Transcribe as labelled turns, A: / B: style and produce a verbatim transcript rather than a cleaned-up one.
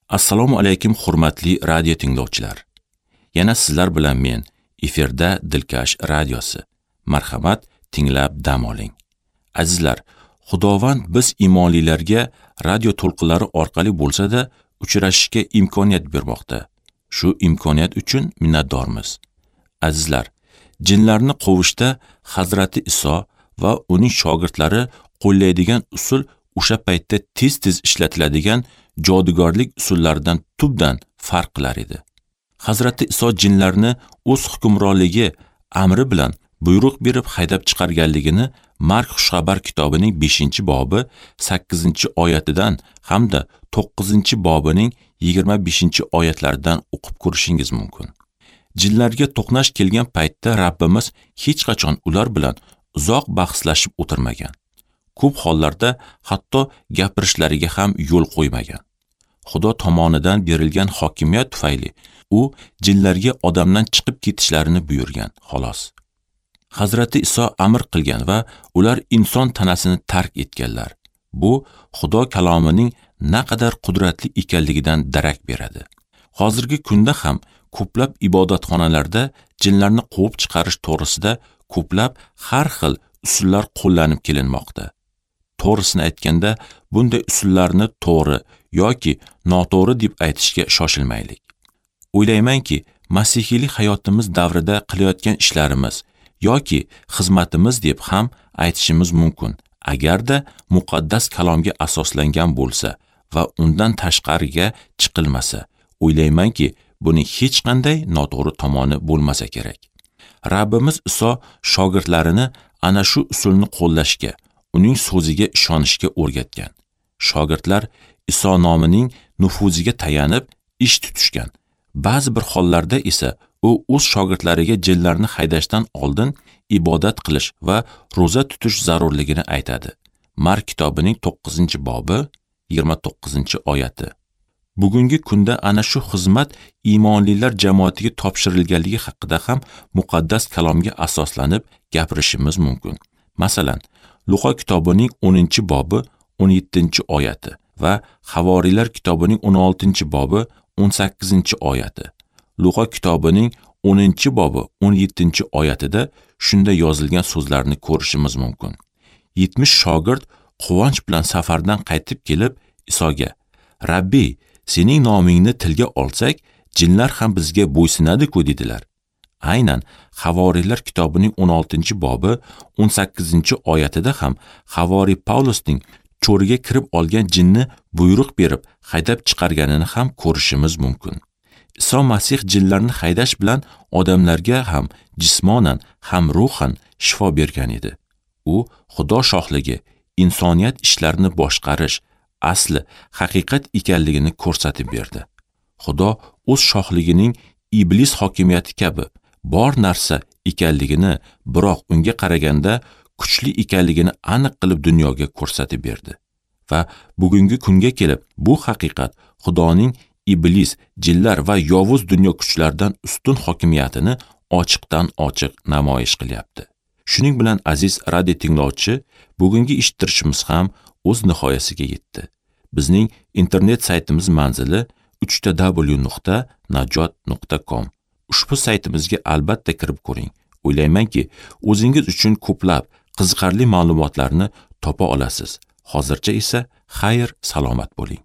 A: Assalomu alaykum hurmatli radio tinglovchilar. Yana sizlar bilan men, efirda Dilkash radiosi. Marhamat, tinglab dam oling. Azizlar, Xudovand biz imonlilarga radio to'lqinlari orqali bo'lsa-da uchrashishga imkoniyat bermoqda. Shu imkoniyat uchun minnatdormiz. Azizlar, jinlarni quvishda Hazrati Iso va uning shogirdlari qo'llaydigan usul o'sha paytda tez-tez ishlatiladigan jodugarlik usullaridan tubdan farq qilar edi. Hazrati Iso jinlarni o'z hukmronligi amri bilan buyruq berib haydab chiqarganligini Mark Xushxabar kitobining beshinchi bobi sakkizinchi oyatidan hamda to'qqizinchi bobining yigirma beshinchi oyatlaridan o'qib ko'rishingiz mumkin. Jinlarga to'qnash kelgan paytda Rabbimiz hech qachon ular bilan uzoq bahslashib o'tirmagan. Ko'p hollarda hatto gapirishlariga ham yo'l qo'ymagan. Xudo tomonidan berilgan hokimiyat tufayli u jinlarga odamdan chiqib ketishlarini buyurgan, xolos. Hazrati Iso amr qilgan va ular inson tanasini tark etganlar. Bu Xudo kalomining naqadar qudratli ekanligidan darak beradi. Hozirgi kunda ham ko'plab ibodatxonalarda jinlarni quvib chiqarish to'g'risida ko'plab har xil usullar qo'llanib kelinmoqda. To'g'risini aytganda, bunday usullarni to'g'ri yoki noto'g'ri deb aytishga shoshilmaylik. O'ylaymanki, masihiylik hayotimiz davrida qilayotgan ishlarimiz yoki xizmatimiz deb ham aytishimiz mumkin, agarda muqaddas kalomga asoslangan bo'lsa va undan tashqariga chiqilmasa. O'ylaymanki, buning hech qanday noto'g'ri tomoni bo'lmasa kerak. Rabbimiz Iso shogirdlarini ana shu usulni qo'llashga, uning so'ziga ishonishga o'rgatgan. Shogirdlar Iso nomining nufuziga tayanib ish tutishgan. Ba'zi bir hollarda esa u o'z shogirdlariga jinlarni haydashdan oldin ibodat qilish va ro'za tutish zarurligini aytadi. Mark kitobining to'qqizinchi bobi yigirma to'qqizinchi oyati. Bugungi kunda ana shu xizmat iymonlilar jamoatiga topshirilganligi haqida ham muqaddas kalomga asoslanib gapirishimiz mumkin. Masalan, Luqa kitobining o'ninchi bobi o'n yettinchi oyati va Havoriylar kitobining o'n oltinchi bobi o'n sakkizinchi oyati. Luqa kitobining o'ninchi bobi o'n yettinchi oyatida shunda yozilgan so'zlarni ko'rishimiz mumkin. yetmish shogird quvonch bilan safardan qaytib kelib Isoga: "Rabbi, sening nomingni tilga olsak, jinlar ham bizga bo'ysunadi-ku" dedilar. Aynan Havoriylar kitobining o'n oltinchi bobi o'n sakkizinchi oyatida ham Havoriy Pavlusning cho'riga kirib olgan jinni buyruq berib haydab chiqarganini ham ko'rishimiz mumkin. Iso Masih jinlarni haydash bilan odamlarga ham jismonan, ham ruhan shifo bergan edi. U Xudo shohligi, insoniyat ishlarini boshqarish asli haqiqat ekanligini ko'rsatib berdi. Xudo o'z shohligining iblis hokimiyati kabi bor narsa ekanligini, biroq unga qaraganda kuchli ekanligini aniq qilib dunyoga ko'rsatib berdi. Va bugungi kunga kelib bu haqiqat Xudoning iblis, jinlar va yovuz dunyo kuchlaridan ustun hokimiyatini ochiqdan ochiq namoyish qilyapti. Shuning bilan aziz radio tinglovchi, bugungi eshittirishimiz ham o'z nihoyasiga yetdi. Bizning internet saytimiz manzili uch ta w nuqta najot nuqta com. Ushbu saytimizga albatta kirib ko'ring. O'ylaymanki, o'zingiz uchun ko'plab qiziqarli ma'lumotlarni topa olasiz. Hozircha esa xayr, salomat bo'ling.